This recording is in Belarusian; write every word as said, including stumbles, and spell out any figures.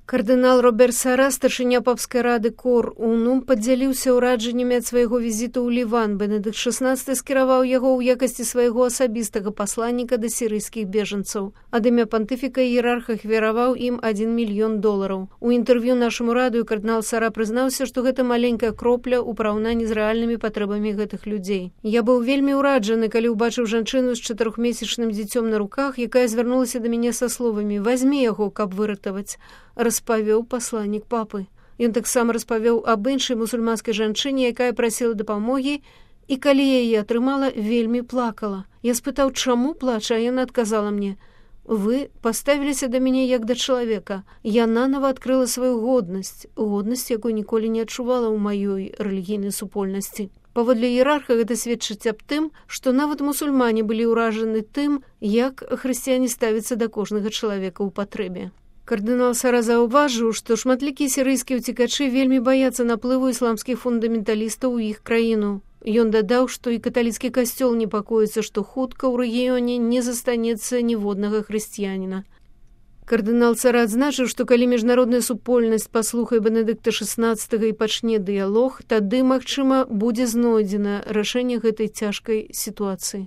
Кардынал Роберт Сара, старшыня папскай рады Кор Унум, падзяліўся ўражаннямі ад свайго візіту ў Ліван. Бенедыкт шэснасты скіраваў яго ў якасці свайго асабістага пасланніка да сірыйскіх бежанцаў. Ад імя пантыфіка іерарх ахвяраваў ім адзін мільён долараў. У інтэрв'ю нашаму радыё кардынал Сара прызнаўся, што гэта маленькая кропля ў параўнанні з рэальнымі патрэбамі гэтых людзей. Я быў вельмі ўраджаны, калі ўбачыў жанчыну з чатырохмесячным дзіцём на руках, якая звярнулася да мяне са словамі: «Вазьмі яго, каб выратаваць», распавёў пасланнік папы. Ён таксама распавёў аб іншай мусульманскай жанчыне, якая прасіла дапамогі, і калі яе атрымала, вельмі плакала. Я спытаў, чаму плача, а яна адказала мне: «Вы паставіліся да мяне як да чалавека. Я нанова адкрыла сваю годнасць, годнасць, якой ніколі не адчувала ў маёй рэлігійнай супольнасці». Паводле іерарха гэта сведчыць аб тым, што нават мусульмане былі ўражаны тым, як хрысціяне ставяцца да кожнага чалавека ў патрэбе. Кардынал Сара заўважыў, што шматлікія сірыйскія ўцекачы вельмі баяцца наплыву ісламскіх фундаменталістаў у іх краіну. Ён дадаў, што і каталіцкі касцёл непакоіцца, што хутка ў рэгіёне не застанецца ніводнага хрысціяніна. Кардынал Сара адзначыў, што калі міжнародная супольнасць паслухае Бенедыкта шэснаццатага і пачне дыялог, тады, магчыма, будзе знойдзена рашэнне гэтай цяжкай сітуацыі.